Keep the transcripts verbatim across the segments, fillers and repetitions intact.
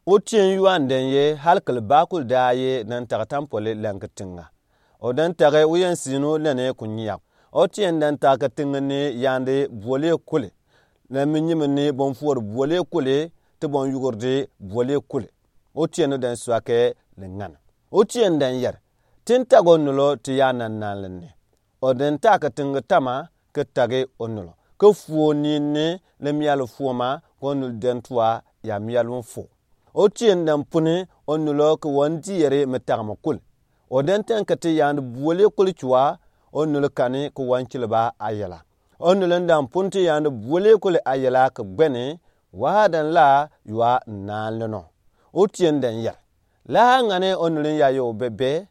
Otien yua n den ye hali kele ba kul daa ye den tagi tampole lɛŋ ke tinga. O den tagi oyen sinu lɛne ku nyiak. Otien den tagi ke tinga ni yande buole kule. Lɛ mi nyimi ni bon fuor buole kule, ti bon yugurdi buole kule. Otien o den suake le ŋan. Otien den yer. Tin tagi onulo ti ya nan nan lɛ ni. O den tagi ke tinga tama ke tagi onulo. Ke fuo ni ni le mial fuoma ke onul den tua ya mial un fuo. Otien den puni onulo ke wan diere me tagi me kul. O den ten ke ti yande buole kul cua onulo kani ke wan kileba ayela. Onulo den puni ti yande buole kul ayela ke gbeni wa den la yua nan lɛ no. Otien den yer. La ŋane onulo ya yo bebe.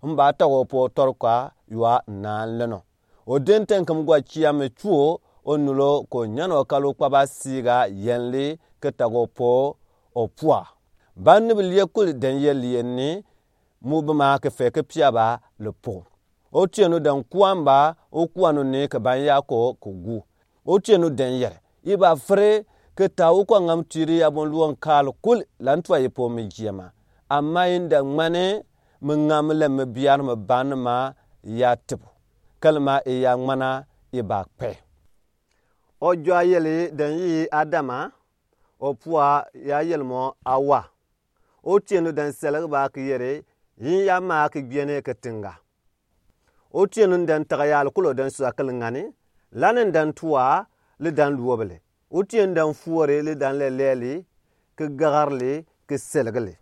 Mba tago po torkwa yua nan lɛ no. O den ten ke mgwa kia me cuo onulo ko nyano kalu kpaba siga yenli ke tago po o pua. Ba nibi lie kul den ye lie ni mu bima ke fe ke piaba le po. Otien o den kuamba o kuanu ni ke ban ya ko ke gu. Otien o den yer. I ba fere ke ta o kua ŋam tiri ya bon luon kal kul lan tua ye po me jiema. Ama i den ŋmane me ŋam lɛ me biar me ban ma ya tibu. Kelema i ya ŋmana i ba kpe. O jua yeli den yi Adama, o pua ya yeli mo Awa. Otien o den selege ba ke yere, yin ya ma ke gbiene ke tinga. Otien o den tagi yal kulo den sua kele ŋani, lani den tua le den luobele. Otien o den fuore le den lɛlɛli, ke gagarli, ke selgeli.